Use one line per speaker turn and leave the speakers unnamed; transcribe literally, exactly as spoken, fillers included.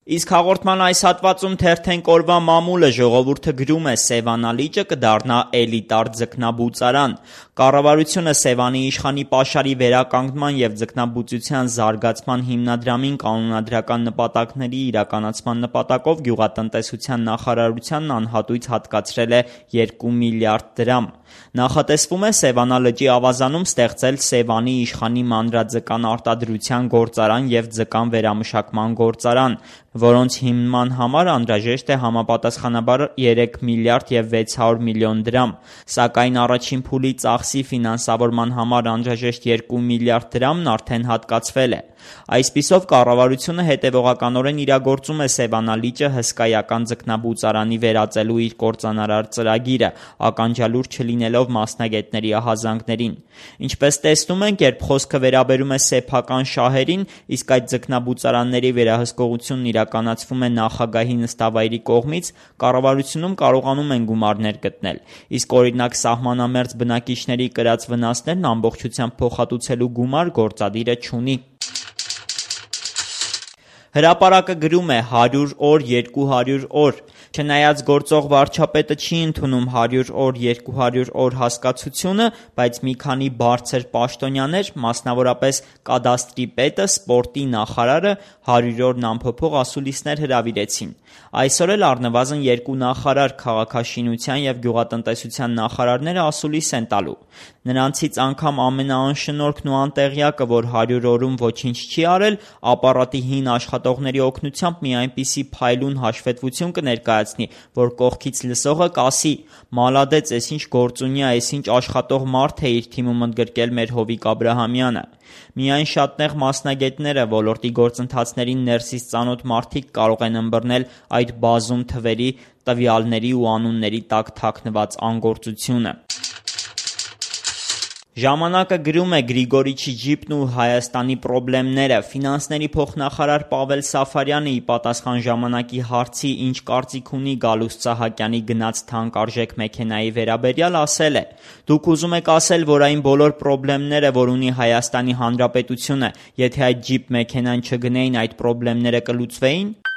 Իսկ հաղորդման այս հատվածում թերթենք օրվա մամուլը, ժողովուրդը գրում է Սևանա լիճը կդառնա էլիտար ձկնաբուծարան։ Կառավարությունը Սևանի իշխանի պաշարի վերականգնման և ձկնաբուծության զարգացման հիմնադրամին կանոնադրական նպատակների իրականացման նպատակով գյուղատնտեսության նախարարությանն անհատույց հատկացրել է երկու միլիարդ դրամ։ Նախատեսվում է Սևանա լճի ավազանում ստեղծել Սևանի իշխանի մանրաձկան արտադրության գործարան և ձկան վերամշակման գործարան, որոնց հիմնման համար անհրաժեշտ է համապատասխանաբար երեք միլիարդ և վեց հարյուր միլիոն դրամ, սակայն առաջին փուլի ծախսի ֆինանսավորման համար անհրաժեշտ երկու միլիարդ դրամն արդեն հատկացվել է։ Այսպիսով կառավարությունը հետևողականորեն իրագործում է Սևանա լիճը հսկայական ձկնաբուծարանի վերածելու իր կործանարար ծրագիրը, ականջալուր չլինելով մասնագետների ահազանգներին։ Ինչպես տեսնում ենք, երբ խոսքը վերաբերում է սեփական շահերին, իսկ այդ ձկնաբուծարանների վերահսկողությունն իրականացվում է նախագահի նստավայրի կողմից, կառավարությունում կարողանում են գումարներ գտնել, իսկ օրինակ սահմանամերձ բնակիչների կրած վնասներն ամբողջությամբ փոխհատուցելու գումար գործադիրը չունի։ Հրապարակը գրում է հարյուր օր, երկու հարյուր օր։ Չնայած գործող վարչապետը չի ընդունում հարյուր օր, երկու հարյուր օր հասկացությունը, բայց մի քանի բարձր պաշտոնյաներ, մասնավորապես կադաստրի պետը, սպորտի նախարարը հարյուր օրն անփոփոխ ասուլիսներ հրավիրեցին։ Այսօր էլ առնվազն երկու նախարար, քաղաքաշինության և գյուղատնտեսության նախարարները ասուլիս են տալու։ Նրանցից անգամ ամենաանշնորհքն ու անտեղյակը, որ հարյուր օրում ոչինչ չի արել, ապարատի հին աշխատողների օգնությամբ մի այնպիսի փայլուն հաշվետվություն կներկայացնի, որ կողքից լսողը կասի՝ «Մալադեց, էս ինչ գործունյա, էս ինչ աշխատող մարդ է իր թիմում ընդգրկել մեր Հովիկ Աբրահամյանը»։ Միայն շատ նեղ մասնագետները, ոլորտի գործընթացներին ներսից ծանոթ մարդիկ կարող են ըմբռնել այդ բազում թվերի, տվյալների ու անունների տակ թաքնված անգործությունը։ Ժամանակը գրում է Գրիգորիչի ջիպն ու Հայաստանի պրոբլեմները։ Ֆինանսների փոխնախարար Պավել Սաֆարյանը ի պատասխան ժամանակի հարցի ինչ կարծիք ունի Գալուստ Սահակյանի գնած թանկարժեք մեքենայի վերաբերյալ ասել է. «Դուք ուզում եք ասել, որ այն բոլոր պրոբլեմները, որ ունի Հայաստանի Հանրապետությունը, եթե այդ ջիպ մեքենան չգնեին, այդ պրոբլեմները կլուծվեի՞ն»։